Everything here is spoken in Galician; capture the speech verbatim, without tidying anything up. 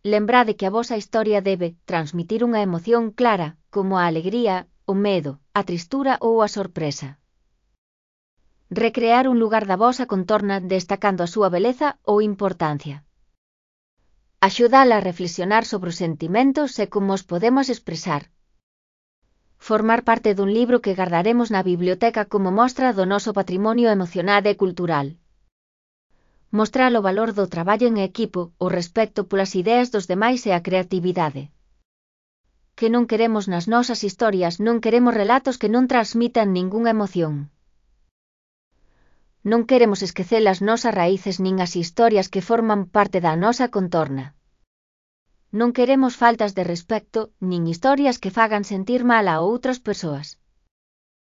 lembrade que a vosa historia debe transmitir unha emoción clara, como a alegría, o medo, a tristura ou a sorpresa. Recrear un lugar da vosa contorna destacando a súa beleza ou importancia. Axúdala a reflexionar sobre os sentimentos e como os podemos expresar. Formar parte dun libro que gardaremos na biblioteca como mostra do noso patrimonio emocional e cultural. Mostrar o valor do traballo en equipo, o respecto polas ideas dos demais e a creatividade. Que non queremos nas nosas historias, non queremos relatos que non transmitan ningunha emoción. Non queremos esquecer as nosas raíces nin as historias que forman parte da nosa contorna. Non queremos faltas de respecto, nin historias que fagan sentir mal a outras persoas.